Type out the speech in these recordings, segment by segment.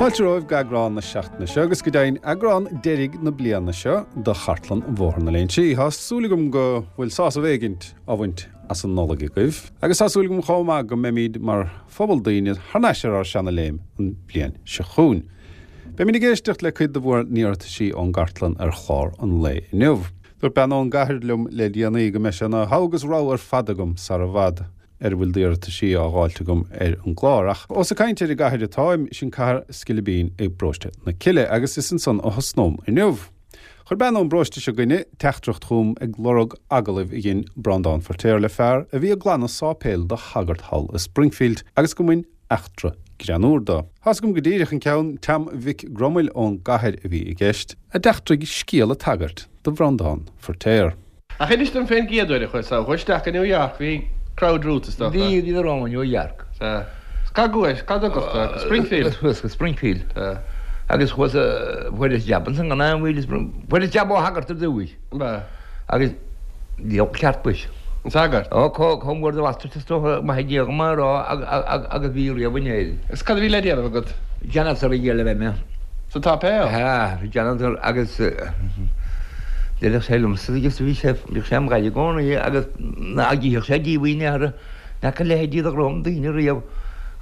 Fáilte romhaibh go eagrán na seachtaine seo agus go deimhin eagrán deiridh na bliana seo de Chartlann Bhóthar na Léinsí. Tá súil agam go bhfuil sásamh éigint á bhaint as an Nollaig agaibh agus tá súil agam chomh maith go mbeimid mar phobal daoine thar n-ais ar ár seana-léim an bhliain seo chugainn. Beimid ag éisteacht le cuid de bhur n-iarrataisí ón gcartlann ar chlár an lae inniu. Dúirt bean ón gcathair liom le déanaí go mbeidh sé ina thogha agus rogha ar fad agam sara bhfad ar a bhfuil d'iarrataisí á dháilt agam ar an gclár. Ach ós ag caint ar an gcathair atáim, sin cathair Scilibín i bparóiste na Cille agus is ansan a thosnóm inniu. Chuir bean ón bparóiste seo 'gainne teachtaireacht chugam ag lorg agallaimh a dhein Breandán Feirtéar le fear a bhí ag glanadh sáipéil do shagart thall i Springfield agus go mbain eachtra greannúr do. Tá's agam go díreach an ceann, Team Mhic Gromaill ón gcathair a bhí i gceist, a d'eachtraigh scéal ag tagairt do Bhreandán Feirtéar. Ach inis dom fén gcéad uair a chuaigh tú isteach go New York, bhí crowd romhat is dócha. Bhí, bhí romham i New York. Sea. Is cá gcuais, cá dtugadh tú? Go Springfield? Chuas go Springfield. Sea. Agus chuas, fuaireas jab ansan gan aon mhoill, fuaireas jab ó shagart ar dtúis. Ab ea? Agus diabhal ceart muis. An sagart? Ó, chomh mór do bhastard is dócha, maith Dé dhom é a rá agus bhí riamh in Éirinn. Is cad a bhí le déanamh agat? Janitor a dhíol a bheith mé. Sa tsáipéal? Sea, bhí janitor agus deireadh sé liomsa agus bhí sé, bhíodh sé im ghaire i gcónaí agus ná gífeadh sé díomhaoin in aon chor, n'fheaca a leithéidí de dhroim daoine riamh,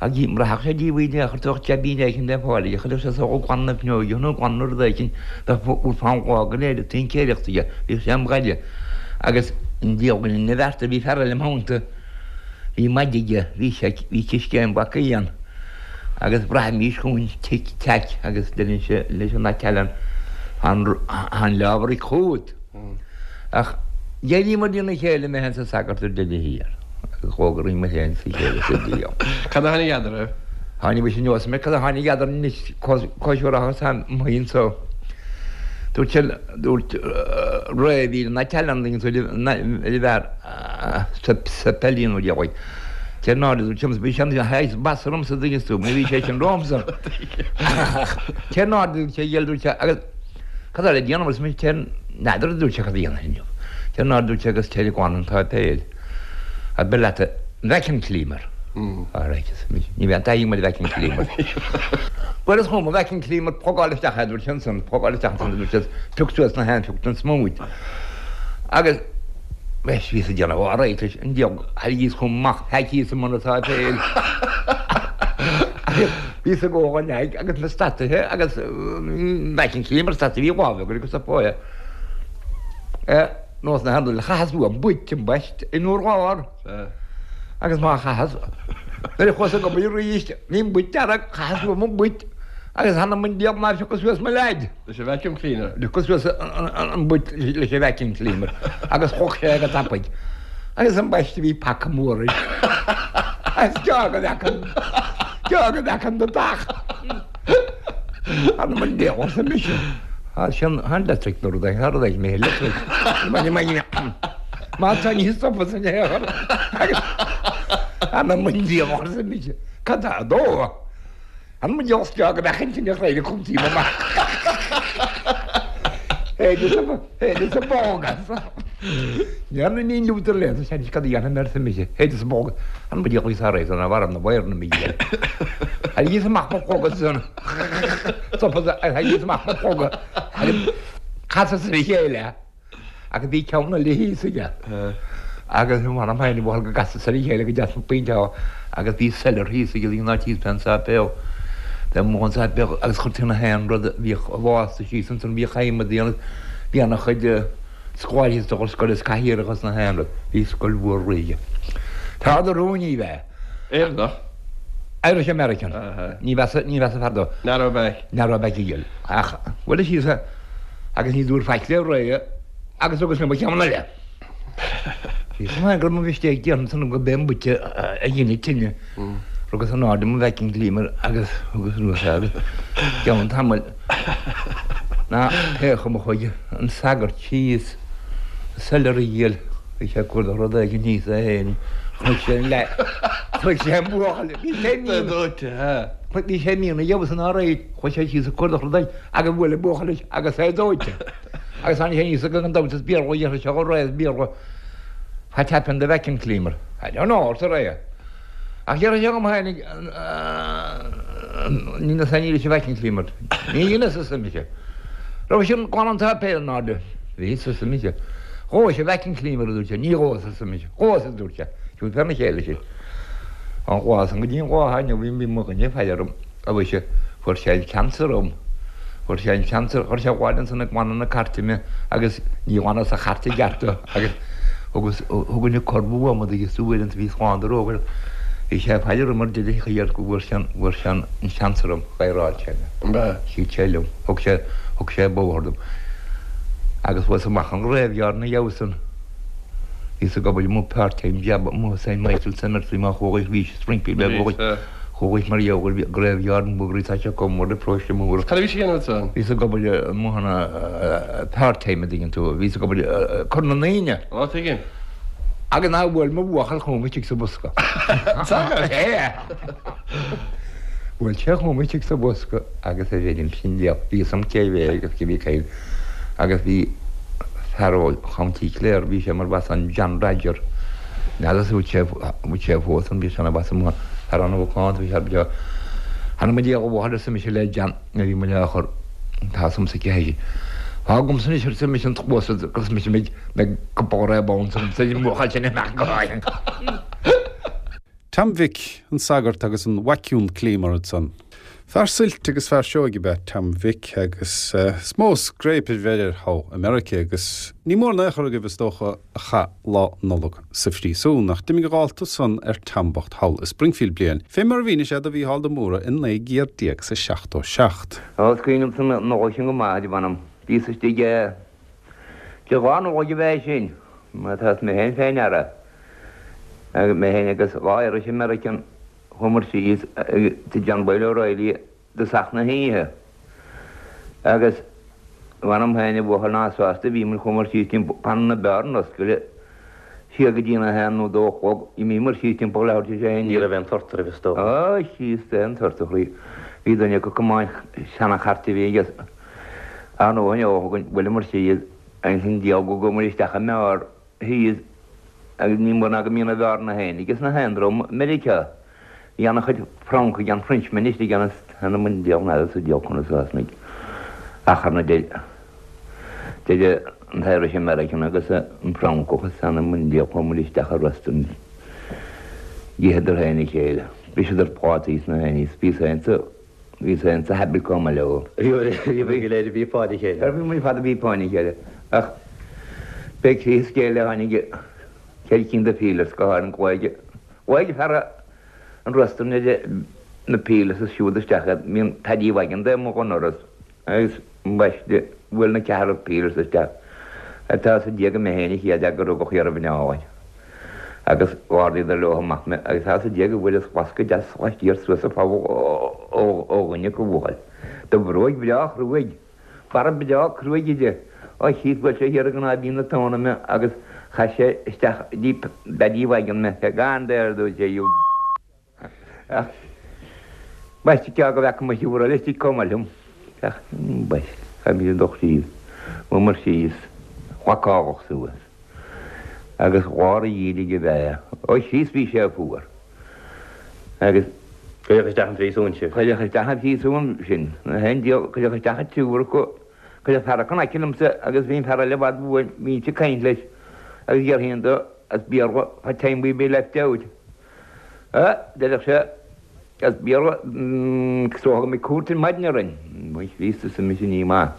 ach mura rachadh sé díomhaoin in aon chor bheadh jaibín éicint le fáil aige, chuirfeadh sé só ag glanadh na fuinneoige nó ag glanadh rud éicint, bheadh fonn lá go léir ag tincéireacht aige, bhíodh sé im ghaire agus an diabhal ina bhearta, bhí fear eile im theannta, bhí maide aige, bhí sé, bhí ciscéim bacaí ann. Agus bhraithimís chugainn tic teaic agus deireann leis an Italian an leabhar ag chugat. Ach d'éiríomar dina chéile mé féin 's an sagart ar deireadh thiar agus dhógair mé féin sa chéile sa diabhal. Cad a tháinig eadarthu? Tháinig mise anuas mé cad a tháinig eadarthu anois cóisiúrach is an so. Dúirt sé dúirt Ray bhí an Italian an bhfear sa peilín ó dheabhaidh. Cé nár dúirt liom, bhí sé an shaghas basa ormsa dtuigeann tú, mar bhí sé sin romhamsa. Cé nár dúirt sé, gheall dúirt sé, agus cad eile a déanamh arsa mise, cé n'fheadar a dúirt sé cad a dhéanfainn inniu. Cé nár dúirt sé agus téir ag glanadh an tsáipéil. A beir leat an vacuum cleaner. All right, arsa mise, ní bheidh an taithí agam ar vacuum cleaner. Cuireas chugam an vacuum cleaner, plugáil isteach é, dúirt sé ansan, plugáil isteach ansan, dúirt sé, pioc suas na haon phioc den smúid. Agus bheas bhíos ag déanamh all right leis an diabhal thairrigíos chugam amach faitíos i mbun an tsáipéil. Agus bhíos ag gabháil an aghaidh agus na stataithe agus vacuum cleaner stataithe bhí lámh agat agus a phóighe. Nós na handúile chaitheas uaim buit ambaist in urlár. Agus má chaitheas nuair a chuas ag obair arís bhí an buit dearg chaitheas uaim an buit agus th'anam 'on diabhal nár phiocas suas mo leaid. Leis an vacuum cleaner. Phiocas suas an buit leis an vacuum cleaner agus choc sé go tapaidh. Agus ambaiste bhí paca mór air. Is gearr go bhfeacann, gearr go bhfeacann do dach. Th'anam 'on diabhal arsa mise. Tá sin, tá an electric nó rud éigin, tá rud éigin mé electric. Má tá níos stopa san aer. Agus th'anam 'on diabhal arsa mise. Cad tá dó? An mba deas go mbeadh intinn a chréidh chun tí amach. Théideas a bog as. Dhearna ní Luther le sa seans cad a dhéanfaidh mé arsa mise. Théideas a bog. An mba deas a réidh an bhar na bhar na mí. Thairrigíos amach mo phlóga san. Stopas thairrigíos amach mo phlóga. Casas ar a chéile. Agus bhí ceann eile thíos aige. Agus m'anam féin a bhuachaill go gcasas ar a chéile go deas an pointe ann agus bhí cellar thíos aige in áit thíos fén sáipéal. Bhí amuigh an sáipéal agus chuirtí na haon rud a bhíodh lasta síos ansan, bhíodh adhmad ann bhí ana chuid scoláirí is dócha scoil is cathaoireacha is na haon rud. Bhí scoil mhór réidh. Fear de rún ní bheadh. Éireannach? Irish American. Ní bheas ní bheas a fear dó. Narrow back. Narrow back a ghill. Ach bhuel síos agus ní dúirt faic le Ray agus thugas liom an ceann eile. Bhí chomh maith go raibh mo mhistake déanta ansan go b'é an buit a dhein an tine. Rugas in airde mo vacuum cleaner agus thugas anuas é agus i gceann tamaill ná pé chuma chuaigh an sagart síos sa cellar a dhíol bhí sé ag cuardach rud éigin thíos é féin chonaic sé an leath chonaic sé an buachaill bhí sé mín bhí sé mín a gheobhas an áréid chuaigh sé síos ag cuardach rud éigin Agus bhuail an buachaill leis agus é dóite. Agus tháinig sé aníos gan dabht is Béarla a dhéarfadh sé go réidh as Béarla What happened the vacuum cleaner? I don't know, arsa Ray. Ach déarfadh sé dhom tháinig. Ní níl sé vacuum cleaner. Ní dheineas arsa mise. Raibh sin glan an tsáipéil in airde. Bhí arsa mise. Dhóigh sé vacuum cleaner a dúirt sé. Ní dhóigh arsa mise. Dhóigh a dúirt sé. Siúd fear na chéile sin. An lá san go dtí an lá inniu bhí mo dhuine ag faire orm. A mhuise, fuair sé an ceansa orm. Fuair sé an ceansa, chuir sé abhaile ansan ag glanadh na cairte mé agus ní ghlanfadh sa chairt i gceart do agus thugas, thug an corr uaim agus tú uaireanta bhí slán do rógair. Bhí sé ag faire orm ar deireadh thiar go bhfuair sé an, bhfuair sé an seans orm, dh'adhráil sé mé. An b'ea? Cheap sé liom. Thug sé, thug sé bóthar dom. Agus chuas amach an graveyard ina dhiaidh san. Bhíos ag obair amuigh part-time job amuigh i Saint Michael's Cemetery má chuaigh, bhí Springfield mé chuaigh. Chuaigh mar gheall ar graveyard an bhuagraí tá sé chomh mór le paróiste mór. Cad a bhí sé a dhéanamh ansan? Bhíos ag obair amuigh ann part-time a dtuigeann tú. Bhíos ag obair ag cur na ndaoine. Á tuigim. Agus ná bhuail mo bhuachaill chugam istigh sa bhosca. Bhuail sé chugam istigh sa bhosca agus a bheirim sin diabhal. Bhí fhios a'm cé bhé agus cé bhí caol agus bhí fear ó Chounty Clare bhí sé mar bhas an John Rodger. N'fheadar an bhfuil sé bhfuil sé fós ann bhí sé ina bhas amuigh thar an ócáid bhí sé beo. Th'anam 'on diabhal a bhuachaill arsa mise le John nuair a bhí muid á chur tá fhios a'msa cé hé. Fág agamsa anois arsa mise an cluas agus mise mbeidh mbeidh cupán réab ann sa mbuachaill sin amach go háirithe. Tom Mhic, an sagart agus an vacuum cleaner ansan. Fear suilt agus fear seoigh ab ea Tom Mhic agus is mó scréip a bheir air thall i Meirice agus ní mór in aon chor agaibh is dócha a chaith Lá Nollag sa phríosún ach d'imigh a dhálta san ar Tom bocht thall i Springfield bliain, fé mar a mhínigh sé do Mhícheál de Mórdha i 1977. Ó, is cuimhin liomsa an Nollaig sin go maith, mh'anam. Bhíos istigh i Dé lá Nollag ab ea é sin, má tá mé féin fé ndeara. Agus mé féin agus dhá Irish American chuamar síos tigh John Boyle O'Reilly i dtosach na hoíche. Agus mh'anam féin a bhuachaill ná sásta a bhíomar chuamar síos timpeall fanann na beáranna oscailte siar go dtí na haon nó dó a chlog. D'imíomar síos timpeall leathuair tar éis a haon. Ní raibh aon tort oraibh is dócha. Ó, síos aon tort a chroí. Bhí duine acu ag tiomáint seana-chairt a bhí aige. Ar ndóigh, ó bhuaileamar síos agus an diabhal go gcuamar isteach i mbeár thíos agus ní mór ná go mbíonn na beáranna féin ages na haon dream i Meiriceá. Bhí ana-chuid Francaigh an Frenchmen istigh ann is th'anam 'on diabhal n'fheadar sa diabhal conas a thosnaigh achar na idir an t-Irish American agus an Francach is th'anam 'on diabhal chuamar isteach i restaurant d'itheadar féin a chéile. Bhriseadar plátaí is na haon ní is bhíos féin sa Bhíos féin sa habit chomh maith leo. Bhí go léir ag píopáin a chéile. Bhí muid fad ag píopáin a chéile. Ach b'é croí an scéil a tháinig ceithre cinn de peelers go háirithe ghlaoigh ghlaoigh fear an restaurant ar na peelers is siúd isteach iad. Bhí an Paddy Wagon de amuigh ón ndoras agus ambaiste bhuail na ceathrar peelers isteach. Tá sa Dia go mé féin a chéad fhear go rugadh thiar i bhFineálainn. Agus d'ardaíodar leo amach mé, agus tá sa Dia go bhfuaireas lascadh deas laistiar suas an poll ó dhuine acu, a bhuachaill. Do bhróig bhreá chruaidh, barra breá cruaidh aige, ó Chríost bhuail sé thiar i gcnáimhín na tóna mé agus chaith sé isteach dtí Paddy Wagon mé, Go on there, a dúirt sé, you. Ach ambaiste cé go bhfeaca mise uair eile istigh chomh maith liom. Ach ambaiste, chaith mise do chroí chuamar síos, locáladh suas. Agus lár an gheimhridh ab ea é. Ó Chríost bhí sé fuar. Agus. Cuireadh isteach an phríosúin sibh. Cuireadh isteach an phríosúin sinn. Na haon diabhal, cuireadh isteach an triúr acu. Cuireadh fear acu in aice liomsa agus bhí an fear eile i bhfad uainn, bhínnse ag caint leis agus déarfainn dó as Béarla, what time we be left out? A, deireadh sé, as Béarla, is dócha go mbeidh cúirt ar maidin orainn. Mhuis, Chríost, arsa mise, ní maith.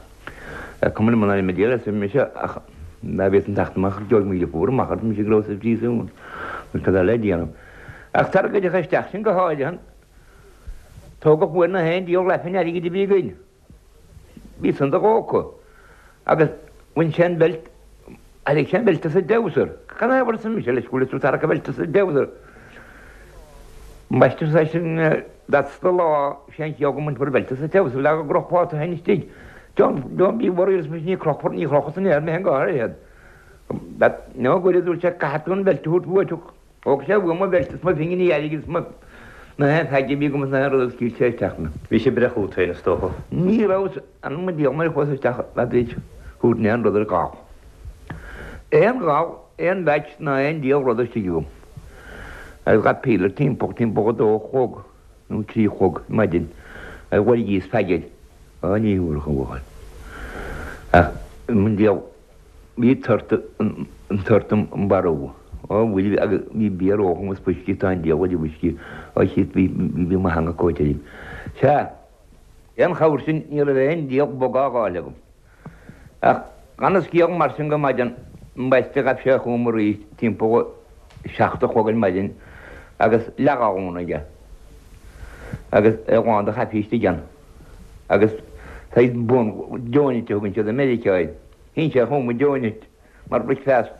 Cuma liom an ainm a déarfas, arsa mise, ach dá bhféadfainn teacht amach, gheobhaidh 1,000 punt amach, arsa mise, go raibh sa phríosún. Bhuel, cad tá le déanamh? Ach tar a gcuireadh isteach sinn go háirithe, tógadh uainn na haon diabhal aifinn airgid a bhí againn. Bhí san do-ghógtha agus bhain sé an bheilt, thairrig sé an bheilt as an dtreabhsar. Cad é arsa mise leis, go bhfuil tú ag tarrac an bheilt as an dtreabhsar? Ambaiste arsa eisean, that's the law, sé an chiall go mbainfear an bheilt as an dtreabhsar le go gcrochfá tú féin istigh. Don't, don't be worried arsa mise, ní chrochfar, ní chrochfar san aer mé féin go háirithe. That, no good a dúirt sé, caithfidh tú an bheilt a thabhairt uait. Thóg sé uaim mo bheilt is mo phinginí airgid is mo na haon pheaca a bhí agam is na haon rud agus scaoil sé isteach mé. Bhí sé ag breith chút féin is dócha. Ní raibh anam an diabhail nuair a chuas isteach tar éis thabhairt aon rud ar gal. Aon gal, aon mheaits ná aon diabhal rud istigh agam. Agus ghabh peeler timpeall, timpeall a dó a chlog nó trí a chlog maidin. A bhuirgí spaigéid. Á ní thabharfadh an bhuachaill. Ach i ndiaidh bhí tort an tort an barú. Á bhuel agus bhí bia róchum is fuiscí tá an diabhal de bhfuiscí á chíos bhí bhí mo theanga cóite uirthi. Sea, aon chabhair sin ní raibh aon diabhal bog á fháil agam. Ach gan a scéal mar sin go maidin ambaiste ghabh sé chugam arís timpeall a 7 a chlog ar maidin agus leathghallún aige agus é lán de chaife istigh ann agus saghas bun donut a thugann siad i Meiriceá air. Shín sé chugam an donut mar bhricfeast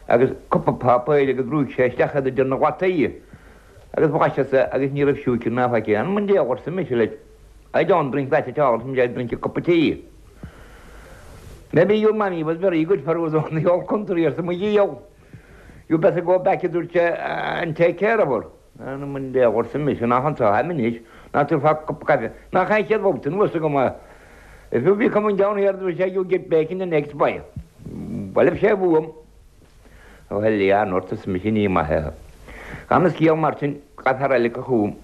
agus cupa páipéir agus bhrúigh sé isteach iad idir na lataí agus bhlaiseas é agus ní raibh siúicre ná faic ann. Mo dhiabhal arsa mise leis. I don't drink that at all, I drink a cup of tea. Maybe your mammy was very good for us on the old country arsa mo dhiabhal. You better go back a dúirt sé and take care of her. Ana mo dhiabhal arsa mise nach anso tháim anois ná tabharfá cupa caife. Nach é an chéad bhabhta anuas agam é. If you be coming down here a dúirt sé you get bacon the next boy. Bhuel sé uaim. Bhuel, a ndúirt arsa mise ní maith é. Gan a scéal mar sin, ghabh fear eile chugam.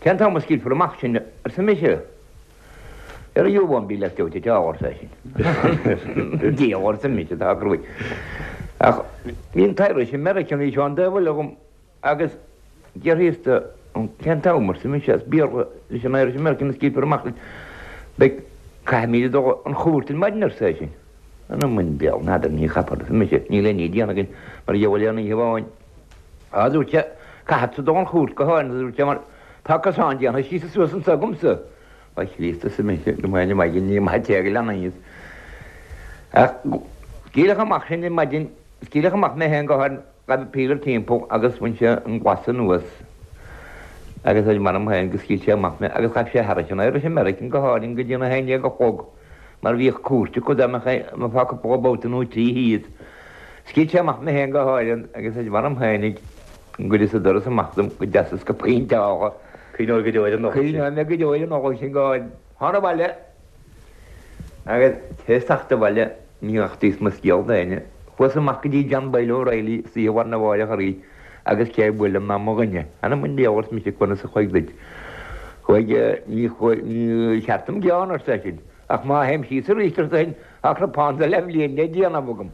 Cén t-am a scaoilfear amach sinn, arsa mise. Ar you won't be left out at all, arsa eisean. Diabhal, arsa mise, tá cruaidh. Ach bhí an tIrish American bhí sé an taobh eile dhom. Agus déarfaíos de, cén t-am, arsa mise, as Béarla leis an Irish American a scaoilfear amach sinn. Beidh, caithfimid a dul 'on chúirt ar maidin, arsa eisean. Ana mo dhiabhal, n'fheadar, ní chaithfear, arsa mise, níl aon ní déanta againn mar gheall ar an oíche amháin. Á, a dúirt sé, caithfeadsa dul 'on chúirt go háirithe, a dúirt sé, mar tá cosán déanta síos is suas anso agamsa. A Chríost, arsa mise, go mbeidh an maidin ní maith téigh lean aníos. Ach scaoileadh amach sinn ar maidin, scaoileadh amach mé féin go háirithe, Ghabh Peter timpeall agus bhain sé an glas anuas agus ar m'anam féin go scaoil sé amach mé agus ghabh sé thairis an Irish American go háirithe go dtí an 11 a chlog mar bhíodh cúirt acu dá mbeifeá cúpla babhta nó trí thíos. Scaoil sé amach mé féin go háirithe agus ar m'anam féinig go gcuireas an doras amach dom go deas is go pointeálach. Cuimhneoidh go deo ar an Nollaig sin. Cuimhneoidh mé go deo ar an Nollaig sin go háirithe. Thána abhaile agus tar éis teacht abhaile ní nochtaíos mo scéal d'éinne. Chuas amach go dtí John Boyle O'Reilly istoíche mhar na mháireach arís agus cé a bhuail liom ná mo dhuine. Ana mo dhiabhal arsa mise conas a chuaigh duit. Chuaigh, ní chuaigh, ní cheart dom gearán arsa eisean. Ach má théim síos arís arsa eisean, tá cnapán de leathbhliain le déanamh agam.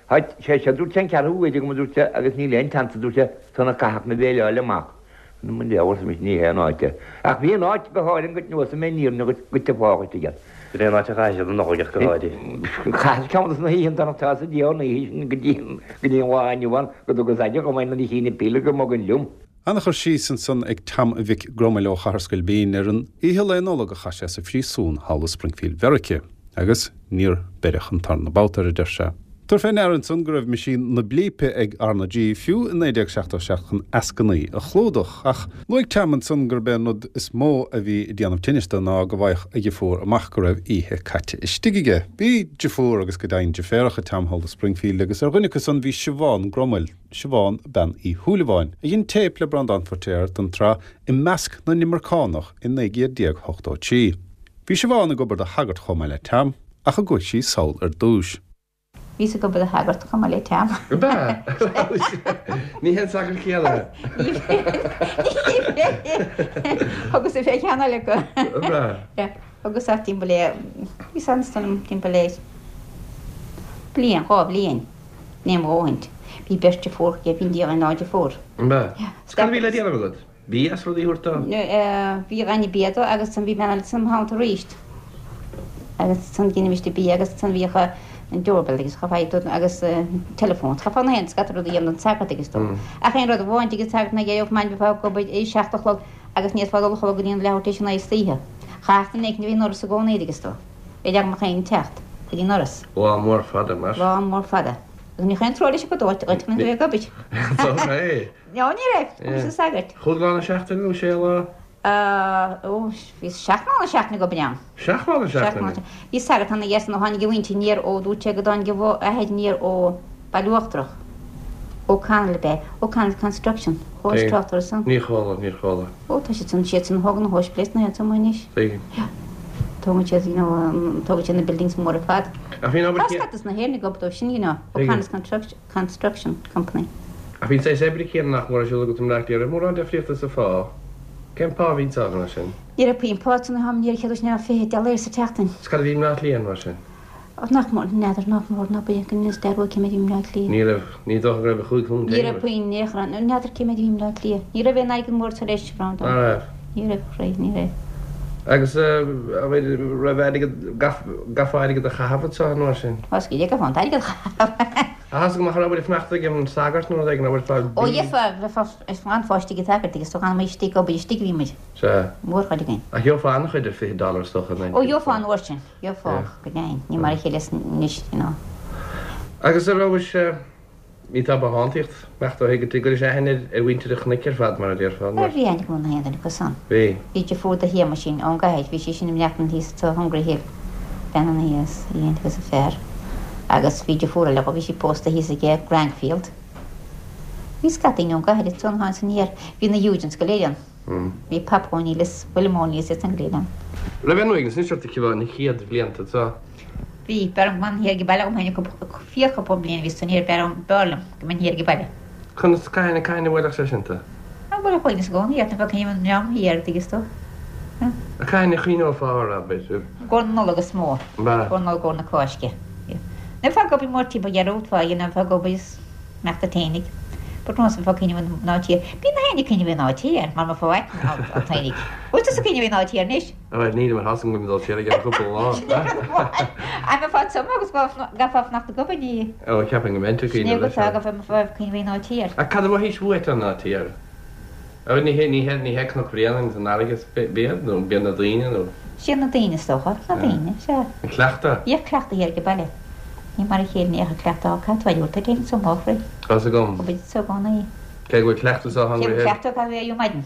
Tá sé seo, dúirt sé, an ceathrú huair agam, a dúirt sé, agus níl aon tseans, a dúirt sé, sona caithfeadh mé béileáil amach. Ana mo dhiabhal, arsa mise, ní hé an áit é. Ach bhí an áit go háirithe go neosfaidh mé an fhírinne dhuit, go dtiocfá dhuit aige. Sin é an áit a chaith siad an Nollaig ach go háirithe. Chaitheas ceann de na hoícheanta nach tá sa diabhal an oíche sin go dtí go dtí an lá inniu ann go dtugas aire dhom é nuair a chínn an píle go mbogainn liom. Ana-chur síos ansan ag Tom Mhic Gromail ó Chathair Scoilbín ar an oíche Lae Nollag a chaith sé sa phríosún thall i Springfield Mheirice. Agus níor beireadh an tarna babhta air, a deir sé. Tabhair fé ndeara ansan go raibh meaisín na blípe ag RnaG fiú i 1977 chun eascainí a chlúdach. Ach luaigh Tom ansan gurb é an rud is mó a bhí ag déanamh tinnis dó ná go bhfaigheadh a dheirfiúr amach go raibh oíche caite istigh aige. Bhí deirfiúr agus go deimhin deirféaracha ag Tom thall i Springfield agus ar dhuine acu san bhí Siobhán Gromail, Siobhán Bean Uí Shúilleabháin, a dhein téip le Breandán Feiritéar don tsraith I Measc na nImirceánach i 1983. Bhí Siobhán ag obair do shagart chomh maith le Tom, ach an gcuaigh sí sall ar dtúis. Bhíos ag obair do shagart chomh maith le Tom. Ab ea? Ní hé an sagart céanna é. Ní hé. Thugas fé cheann eile acu. Ab ea? Thugas ach timpeall le, bhíos ann is dóigh liom timpeall le bliain, dhá bhliain, ní mo dhóthaint. Bhí beirt deirfiúr aige, bhí an diabhal aon deirfiúr. Ab ea? Cad a bhí le déanamh agat? Bia is rudaí a thabhairt dó? Bhí ag déanamh bia dó agus ansan bhí bean eile sa theannta aríst. Agus ansan dheinimist an bia agus ansan bhíodh an doorbell agus cha bhfaigheadh tú agus telephone. Cha fáth na haon scata rudaí a dhéanamh don sagart agus dó. Ach aon rud amháin tigh an tsagairt ná gheobhadh maidin bheifeá ag obair ag 7 a chlog agus ní fhéadfá dul a chodladh go dtí an leathuair tar éis a naoi istoíche. Chaithfeadh duine éicint a bheith i ndoras i gcónaí agus dó. Bhí leagan amach éin ag teacht go dtí an ndoras. Lá mór fada mar. Lá mór fada. Agus ní raibh aon trua leis acu dóite dhuit chun a bheith ag obair. Tá No, ní raibh. Chuaigh an sagart. Chúig lá na seachtaine nó sé lá? Ó, bhí seacht lá na seachtaine ag obair ann. Seacht lá na seachtaine? Bhí sagart ann aige san ó tháinig a mhuintir aniar ó, dúirt sé go dtáinig a athair aniar ó Baile Uachtarach. O'Connell ab ea? O'Connell Construction. Chuala trácht orthu san? Níor chuala, níor chuala. Ó, tá siad san, siad san a thógann na hospidéil na héagsúla anois. Tuigim. Yeah. Tógann siad, you know, tógann siad na buildings móra ar fad. Ach bhí an obair Tá scata as na hÉireann ag obair dóibh sin, you know, O'Connell's Construction. Construction Company. Ach bhí an saghas oibre céanna nach mór ar siúl agat i mBleá Cliath, raibh mórán difríochta sa phá? Cén pá a bhí anso mar sin? Ní raibh puinn pá san am, ní raibh céad is neamh 20 dollar sa tseachtain. Is cad a bhí i mBleá Cliath mar sin? Ó nach mór, n'fheadar, nach mór, ná b'é go ndeas dearúd cé méid a bhí i mBleá Cliath. Ní raibh, ní dócha go raibh ach 5 punt Ní raibh puinn, ní raibh, n'fheadar cé méid a bhí i mBleá Cliath. Ní raibh aon airgead mór tar éis, Ná raibh? Ní raibh, a chroí, ní raibh. Agus raibh airgead, gcaithfeá airgead a chaitheamh anso an uair sin? Tá scéal ag an airgead a chaitheamh. Tá 's agam ach raibh ag fanacht ag an sagart nó rud éigin, raibh ag fáil Ó gheofá, bheifeá ag fáil istigh ag sagart agus tú gan amuigh istigh, obair istigh a bhí muid. Sea. Mórchuid againn. Ach gheofá an-chuid ar 20 dollar is dócha Ó gheofá an uair sin, gheofá, go deimhin. Ní mar a chéile anois, you know. Agus a rabhais, ní tá bothántaíocht, meacht ó thuig go gcuiris aithne ar mhuintir an chnoic ar fad, mar a déarfá, mar. Bhí aithne agam ar na haon duine acu san. Bhí. Bhí deirfiúr do Shéamuisín ón gcathair, bhí sí sin ag maireachtaint thíos sa Hungry Hill, bean ann thíos, í féin agus a fear. Agus bhí deirfiúr eile dhó, bhí sí pósta thíos aige Grankfield. Bhí scata daoine ón gcathair ansan a tháinig aniar, bhí na Eugents go léir ann. Bhí Papa O'Neill is William O'Neill is iad san go léir ann. Raibh aon uaigneas anois ort aici na chéad bhlianta anseo? Bhí. B'fhearr liom go mbeinn thiar ag baile dhom féin cúpla fíorchúpla bliain a bhí san thiar b'fhearr b'fhearr liom go mbeinn thiar ag baile. Conas, cathain, cathain a bhuailfeadh sé sin tú? Á bhuailfeadh uaigneas i gcónaí ort, bheadh cuimhne an dream thiar, dtuigeann tú. Cathain a chuimhneofá air, abair? I gcomhair na Nollag is mó. I gcomhair na Nollag, i gcomhair na Cásca. Nuair a bheifeá ag obair mór timpeall dhearúd fá, you know, bheifeá ag obair is. mbeadh duit fhéinig. But nós bheifeá ag cuimhneamh ar an áit thiar. Bíonn na héinne ag cuimhneamh ar an áit thiar, mar mo fáic an t-éinigh. Bhfuil tusa ag cuimhneamh ar an áit thiar anois? Bhuel, nílim ar thosaigh go dul siar ag an chúpla lá. An mbeifeá tiom agus go gcaithfeá fanacht ag obair ní. Ó, ceapaim go mbeinn ag cuimhneamh leis. Sin é go bhfeá ag cuimhneamh ar an áit thiar. Ach cad a mhothaís uait an áit thiar? Ó, ní hé, ní hé, ní hé Cnoc Bréanainn is an fharraige is b'iad, nó b'iad na daoine, nó. Siad na daoine is dócha, na daoine, sea. An cleachtadh? Bhíodh cleachtadh thiar ag baile. Ní mar a chéile ní bheadh cleachtadh á caith tú ar duit anso mo chroí. Tá's agam. Go bhfuil sa gcónaí. Cé go bhfuil cleachtadh sa Cé go bhfuil cleachtadh caithfidh tú éirí maidin.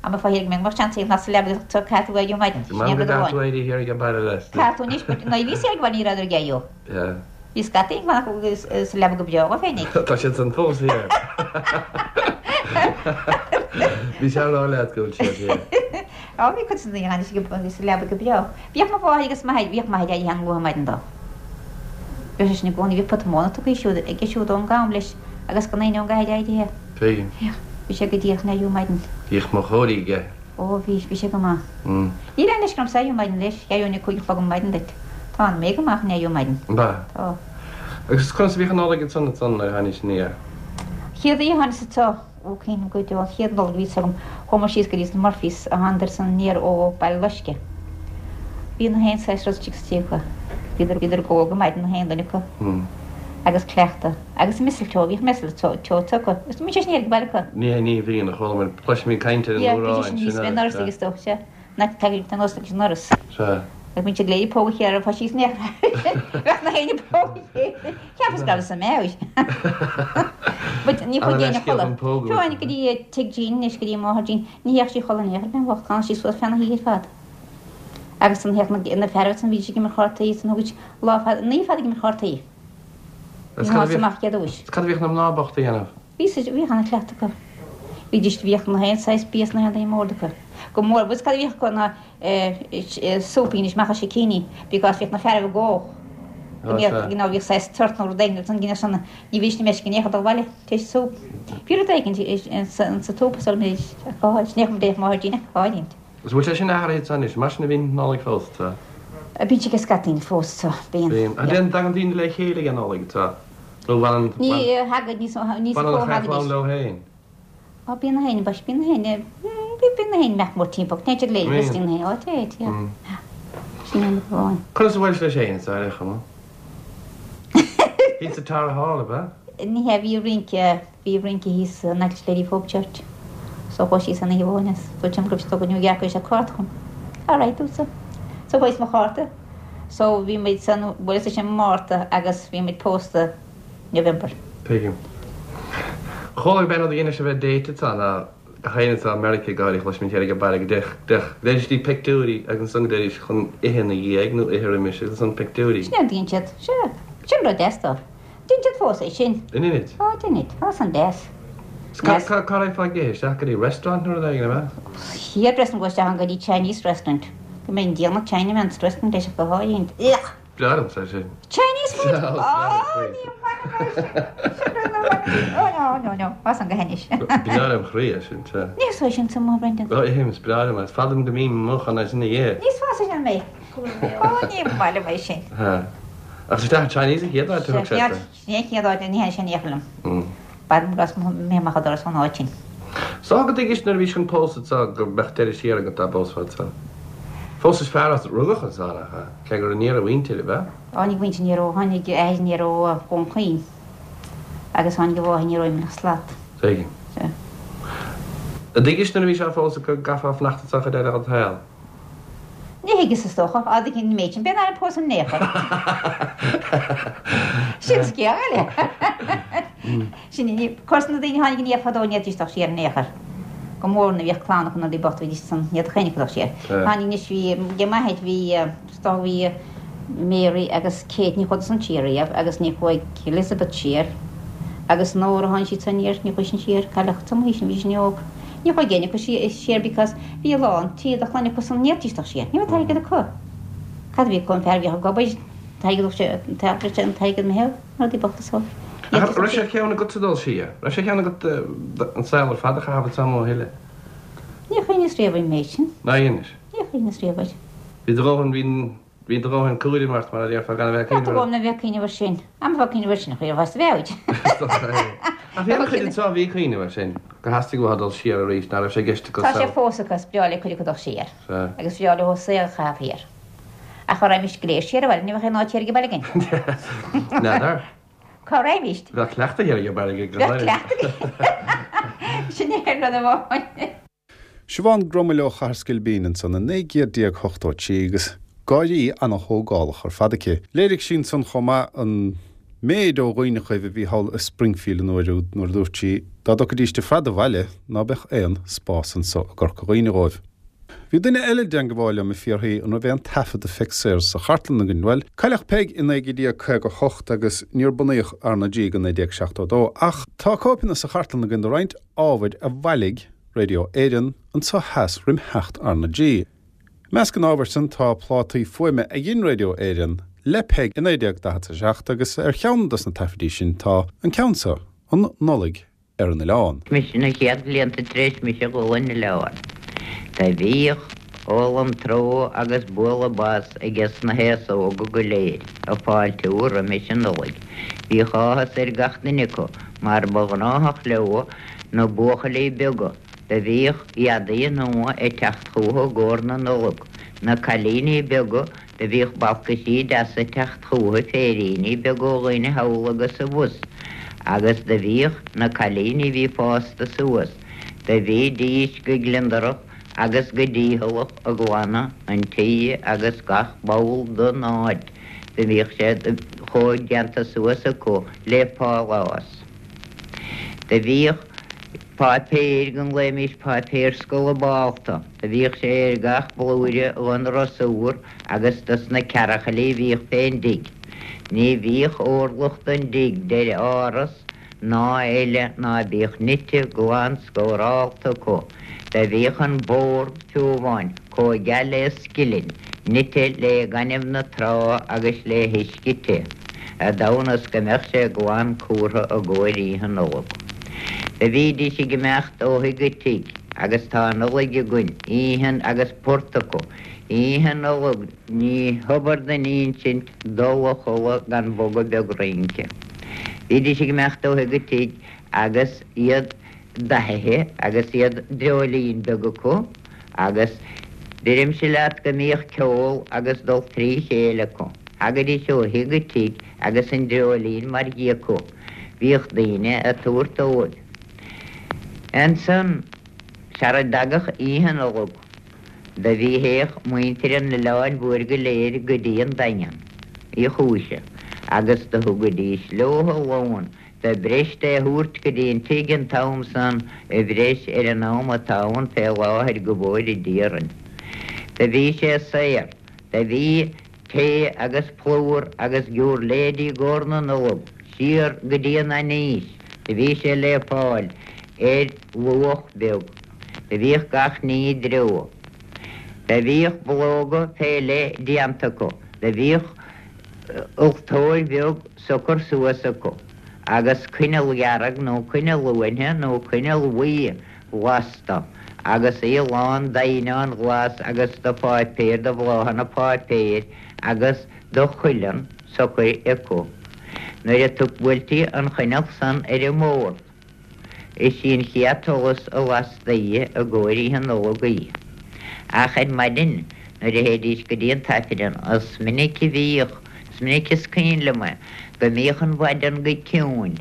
Am a fáil go mbeadh seans ag na sa leaba agus caithfidh tú éirí maidin. Sin é an rud amháin. Caithfidh tú éirí thiar ag an baile leis. Caithfidh tú anois, but nuair a bhíos thiar ag baile ní rabhadar ag éirí. Yeah. Bhí scataí ag fanacht sa leaba go breá dhóibh féinig. Tá siad san fós thiar. Bhí sé a rá leat go bhfuil siad thiar. Á, bhí cuid de na daoine a sa leaba go breá. Bhíodh mo mháthair agus m'athair, bhíodh m'athair éirithe an-luath ar maidin dó. Bhíodh sé sin i gcónaí, bhíodh pota móna tugtha siúd aige siúd ón gcam leis agus gan éinne ón gcathair éirithe. Tuigim. Bhíodh. Bhí sé go díreach in éirí ar maidin. Bhíodh mo chóirí aige. Ó, bhí, bhí sé go maith. Níl aon leisce ormsa éirí ar maidin leis, éireoinn ag 5 a chlog ar maidin duit. Tá mé go maith chun éirí ar maidin. Ab ea? Tá. Agus conas a bhíodh an Nollaig ansan ansan nuair a tháinís aniar? Chéad oíche a tháinig anseo, ó cuimhním go deo, an chéad Nollaig a bhí agam, chuamar síos go dtí na Murphys a thánadar san aniar ó Baile Loiscthe. Bhí na haon saghas rud istigh sa tigh acu. Bhíodar, bhíodar ag ól go maidin na haon duine acu. Agus cleachtadh. Agus mistletoe, bhíodh mistletoe acu. Is bíonn sé sin thiar ag baile acu. Ní hé, ní bhíonn, a chuala mé, cloisimid caint ar an Yeah, bíonn uair sé sin thíos sin fén ndoras agus dó, sea. Nach dtagann an nós leis an ndoras. Sea. Agus bíonn siad go léir ag pógadh a chéile fá síos in aon Bheadh na héinne ag pógadh a chéile. Cheapas go rabhas i meabhair. But ní chuaigh éinne a chodladh. Fiú amháin go dtí tigh Jean anois, go dtí máthair Jean, ní théadh sí a chodladh in aon chor, bean bhocht, d'fhanadh sí suas feadh na hoíche ar fad. Agus san théadh na fearaibh san bhídís ag imirt chártaí, san thugaid lá fada, an oíche fada ag imirt chártaí. Is cad a bhíodh, amach chéad uais. Is cad a bhíodh na mná bochta a dhéanamh? Bhí siad, bhíodh ana chleachtadh acu. Bhídís, bhíodh na haon saghas bia sna haon duine mór acu. Go mór, bhfuil 's cad a bhíodh acu ná soup anois amach as sicíní because bhíodh na fearaibh ag ól. Go mbíodh, you know, bhíodh saghas tort nó rud éigin agus an gine san, ní bhídís na meisce in aon chor dul abhaile tar éis soup. Bhí rud éigin sa tsúp sula mbeidís ach go háirid, ní bheadh máthair Jean ach go háirid. Is bhfuil sé sin athraithe ansan anois? Mar sin a bhíonn Nollaig fós, tá? Bíonn sé ag scaití fós, tá. Bíonn. Bíonn. An dtéann, dtagann daoine le chéile ag an Nollaig, tá? Nó bhfanann, Ní thagann níos mó, níos bhfanann mó an chath thagaidís. lán leo féin? Á, bíonn na héinne, bas, bíonn na héinne, bíonn na héinne imeacht mór timpeall, téann siad léi, Bíonn. bíonn na héinne, á, téid, yeah. Sin an rud amháin. Conas a bhuail leis féin, is ar chuma? Thíos sa Tara Hall, ab ea? Ní hea, bhí rince, Bhí rince thíos in aice Lady Hope Church so chuaigh síos an oíche amháin is dúirt liom go raibh siad ag dul go New York chuir sé cárta chugam. Alright dúirt-sa. So chuaigh mo chárta. So bhí muid san bhuel is sin Márta agus bhí muid pósta November. Tuigim. Chuala gurb é an rud a dhéanadh sibh ar date ansan ná gach éinne anso i Meiriceá go háirithe chloisimid thiar ag an baile go dtéadh go dtéidís pictiúirí agus ansan go dtéidís chun ithe ina dhiaidh nó ithe roimis agus ansan pictiúirí. Sin é an dtéann siad. Sea. Sin rud deas dó. Deinid fós é sin. An ndeinid? Ó, deinid. Tá san deas. Is cá cá raghfá ag ithe? Isteach go dtí restaurant nó rud éigin, ab ea? Chéad restaurant go isteach ann go dtí Chinese restaurant. Go mbeidh an déanamh Chinaman's restaurant leis go háirithe. Ugh! Breá liomsa é sin. Chinese food! Ó, ní bhainim leis sin. Sin rud nach bhainim. Ó, no. No, no, no, tá san go hainnis. Breá lem chroí é sin, sea. Ní is sin sa mo Brendan. Ó, ithim, is breá liom é. Is fada uaim go mbím amuigh chun é sin a ithe. Ní is fearr sin mé. Ó, ní maith liom é sin. Ach is isteach an Chinese an chéad áit a thug sé tú. Sin é an chéad áit, ní théann sé in aon chor liom. B'fhada go mbeadh amach an doras ón áit sin. Is dócha go dtuigis nuair a bhís chun pósadh anso go mbeadh deireadh siar agat dá bpósfá anso. Phósais fear as rugadh anso, nach ea? Cé gur aniar a mhuintir, ab ea? Tháinig a mhuintir aniar ó, tháinig a athair aniar ó Dhún Chaoin agus tháinig a mháthair aniar ó Imleach Slat. Tuigim. Sea. An dtuigis nuair a bhís á phósadh go gcaithfeá fanacht anso an chuid eile dhod shaol? Ní thuigeas is dócha, á dtuigeann an méid sin, b'é nár pósadh in aon chor. Sin scéal eile. Sin í, course na daoine a tháinig aniar fadó ní fhéadfaidís dul siar in aon chor. Go mór nuair a bhíodh clann acu na rudaí bochta bhídís ansan, ní fhéadfadh éinne acu dul siar. Tháinig anois bhí, ag m'athair bhí, is dócha bhí Mary agus Kate, ní chuadar san siar riamh agus ní chuaigh Elizabeth siar agus Nóra tháinig siad san aniar, ní chuaigh sin siar, cailleadh san aois sin, bhí sin óg. Ní chuaigh éinne acu siar because bhí a lán tí de chlainn acu san ní fhéadfaidís dul siar, ní raibh airgead acu. Cad a bhí acu, an fear a bhíodh ag obair, an t-airgead sé, an t-airgead meitheal, rudaí bochta so. Ach raibh sé ar cheann agatsa dul siar? Raibh sé ar cheann agat an saol ar fad a chaitheamh anso amuigh a thuilleadh? Níor chuimhneas riamh ar an méid sin. Nár chuimhnigh? Níor chuimhneas riamh air. Bhí do dhóthain, bhí, bhí do dhóthain cúraim ort mar a déarfá gan a bheith ag cuimhneamh air. Agam a bheith ag cuimhneamh air sin. Am a bheith ag cuimhneamh air sin, chuir a bheith. Ach bhí an-chuid anso a bhí ag cuimhneamh air sin, gur theastaigh uathu dul siar arís, ná raibh sé i gceist acu Tá sé fós acu, is breá le cuid acu dul siar. Agus is breá leo saol a chaitheamh thiar. Ach dá raghaimist go léir siar abhaile, ní bheadh aon áit thiar ag an baile againn. N'fheadar. Cá raghaimist? Bheadh cleachtadh thiar ag an baile againn go Bheadh cleachtadh. Sin é an rud amháin. Siobhán Grummell ó Chathair Sceilpín ansan i 1983 agus gáirí ana-thógálach ar fad aici. Léirigh sí ansan chomh maith an méid ó dhaoineachaibh a bhí thall i Springfield an uair úd nuair a dúirt sí dá dtiocfaidíst ar fad abhaile ná beadh aon spás anso i gCorca Dhuibhne dhóibh. Bhí duine eile i dteangabháil liom ag fiafraí an raibh aon taifead de Pheig Sayers sa chartlann againn. Bhuel, cailleadh Peig i 1958 agus níor bunaíodh RnaG go 1972 ach tá cóipeanna sa chartlann againn de roinnt ábhair a bhailigh Radio Éireann anso theas roim theacht RnaG. I measc an ábhair san tá plátaí fuaime a dhein Radio Éireann le Peig i 1947 agus ar cheann dos na taifidí sin tá an ceann seo, An Nollaig ar an Oileán. Mise na chéad bhlianta tar éis mise a dhul an oileán. Do bhíodh ól an tró agus bualadh bos ages na haos óga go léir ag fáiltiú roimis an Nollaig. Bhíodh áthas ar gach duine acu mar ba ghnáthach leo Na buachaillí beaga, do bhíodh éadaí nua ag teacht chúthu i gcomhair na Nollag. Na cailíní beaga, do bhíodh balcaisí deasa ag teacht chúthu, féiríní beaga ó dhaoine thall agus abhus. Agus do bhíodh na cailíní bhí fásta suas, do bhídís go gliondarach agus go dícheallach ag glanadh an tí agus gach ball don áit, do bhíodh sé chomh déanta suas acu le pálás. Do bhíodh páipéir go nglaoimís páipéir scolabálta, do bhíodh sé ar gach blúire dhon rosúr agus dos na cearachaillí a bhíodh fén dtigh. Ní bhíodh órlach don dtigh d'ar áras ná eile ná bíodh nite glan scórálta acu. Do bhíodh an bórd fiú amháin comh geal le scilin, nite lé gaineamh na trá agus lé huisce te, i dtonn is go mbeadh sé glan cúrtha i gcomhair Oíche Nollag. Do bhídís ag imeacht ó thigh go tigh agus tá an Nollaig againn, oíche agus port acu. Oíche Nollag ní hobair don insint dul a chodladh gan bogadh beag rince. Bhídís ag imeacht ó thigh go tigh agus iad dathaithe agus iad dreoilín beag acu agus deirimse leat go mbíodh ceol agus dul trí chéile acu. Thagaidís ó thigh go tigh agus an dreoilín mar dhia acu. Bhíodh daoine ag tabhairt dóibh. Ansan, sara dtagadh Oíche Nollag, do bhí théadh muintir an Oileáin Mhóir go léir go dtí an Daingean Uí Chúise agus do thugaidís leotha lón De bhreis é thabhairt go dtí an tigh an t-am san i bhreis ar an am atá ann fé láthair go bhfóire Dia orainn. Do bhí sé saor. Do bhí tae agus plúr agus giúirléidí i gcomhair na Nollag, siar go dtí an ainís, do bhí sé le fáil ar luach beag. Do bhíodh gach ní i dtreo. Do bhíodh bulóga fé leith déanta acu. Do bhíodh ultóir bheag socair suas acu. agus coinneal dhearg nó coinneal uainhe nó coinneal bhuí lasta agus í lán d'eidhneán glas agus de pháipéir, de bhláthanna páipéir agus de chuileann socair acu. Nuair a buailtí an choinneal san ar an mbord, is í an chéad tsolas a lastaí i gcomhair Oíche Nollag í. Ach ar maidin nuair a théidís go dtí an tAifreann, is minic a bhíodh, is minic is cuimhin liom é, go mbíodh an mhaidean go ciúin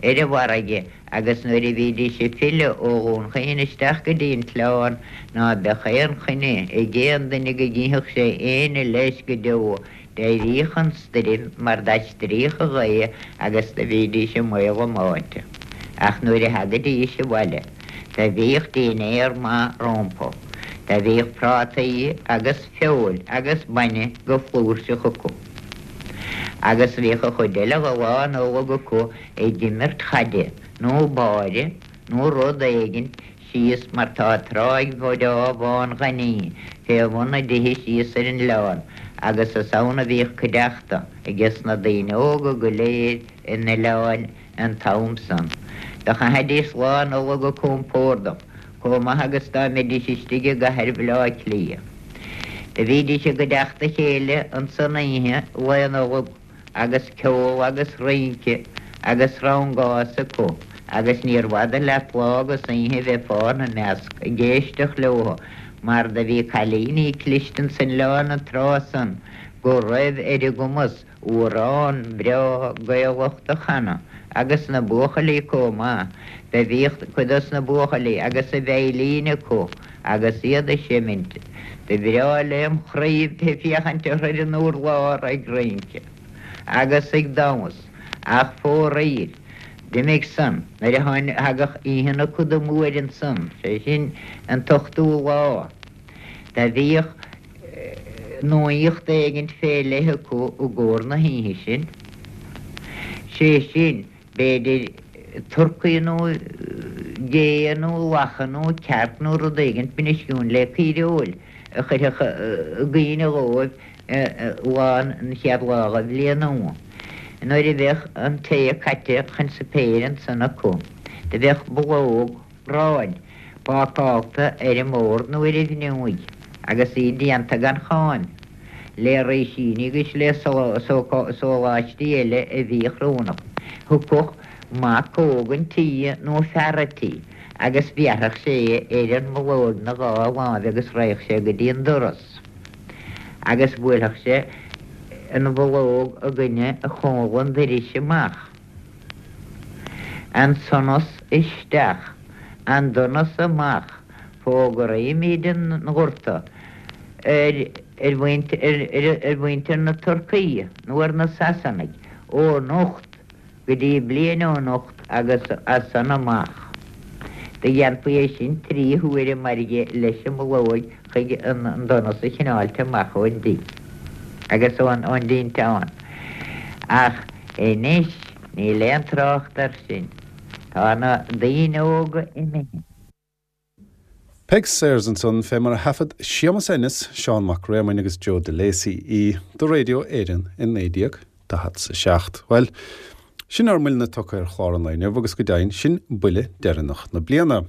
ar an bhfarraige agus nuair a bhídís ag filleadh ó Dhún Chaoin isteach go dtí an t-oileán ná beadh aon choinne ag aon duine go gcífeadh sé éinne leis go deo D'éiríodh an stoirm mar d'aistríodh an ghaoth agus do bhídís i mbaol a mbáite. Ach nuair a thagaidís abhaile do bhíodh dinnéar maith rómpa. Do bhíodh prátaí agus feoil agus bainne go flúirseach acu. Agus bhíodh an chuid eile de Lá Nollag acu ag imirt chaide nó báire nó rud éigint síos mar tá tráigh bhreá bhán ghainimh fé bhun na dtithe síos ar an oileán agus is ann a bhíodh cuideachta ages na daoine óga go léir an oileáin an t-am san. Do chaithidís Lá Nollag go compórdach, comh maith agus dá mbeidís istigh i gcathair Bhaile Átha Cliath. Do bhídís i gcuideachta a chéile ansan oíche Lae Nollag. agus ceol agus rince agus rangás acu agus níorbh fhada leat lá agus oíche bheifeá ina measc ag éisteacht leo mar do bhí cailíní cliste ins an oileán an tráth san go raibh ar a gcumas amhrán breá Gaelach do chanadh agus na buachaillí comh maith. Do bhíodh cuid dos na buachaillí agus a veidhlín acu agus iad ag seimint. Do bhreá lem chroí bheith féachaint orthu ar an urlár ag rince agus ag damhas, ach fóraoil, d'imigh san nuair a thagadh oíche na Coda Móire ansan, sé sin an t-ochtú lá. Do bhíodh nuaíocht éigint fé leith acu i gcomhair na hoíche sin, sé sin, B'fhéidir turcaí nó gé nó lacha nó cearc nó rud éigint bainistiún le caoireoil a chuirfeadh i gcuimhne dhóibh lá an chéad lá de bhliain nua. Nuair a bheadh an tae caite chun suipéir ansan acu, do bheadh bulóg aráin bácálta ar an mbord nó ar an bhfhliúig agus í déanta gan cháim, le rísíní agus le sóláistí eile a bhíodh roghnach. Thiocfadh mac óg an tí nó fear a' tí agus bhéarfadh sé ar an mbulóg 'na dhá láimh agus raghadh sé go dtí an doras agus bhuailfeadh sé an bhulóg i gcoinne chomhla an doiris amach. An sonas isteach, an donas amach, fógraímid an gorta ar ar mhuintir na Turcaí nó ar na Sasanaigh ó anocht go dtí bliain ó anocht agus as san amach. Do dhéanfaí é sin trí huaire mairge leis an mbulóig chuig an donas a chineáilt amach ón dtigh agus ón dtinteán. Ach anois níl aon trácht air sin. Tá na daoine óga imithe. Peig Sayers ansan, fé mar a thaifead Séamus Ennis, Seán Mac Réamoinn agus Joe Delacey í do Radio Éireann i 1947. Bhuel, sin ár mbuille tugtha ar chlár an lae inniu agus go deimhin, sin buille deireanach na bliana.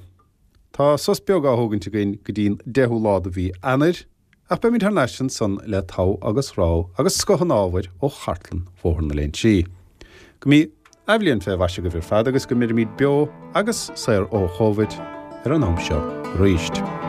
Tá sos beag á thógaint againn go dtí'n 10ú lá de mhí Eanáir, ach beimid thar n-ais ansan le togha agus rogha agus scoth an ábhair ó chartlann Bhóthar na Léinsí. Go mbí athbhliain fé mhaise agaibh ar fad agus go mbeirimid beo agus saor ó Chóivid ar an am seo arís.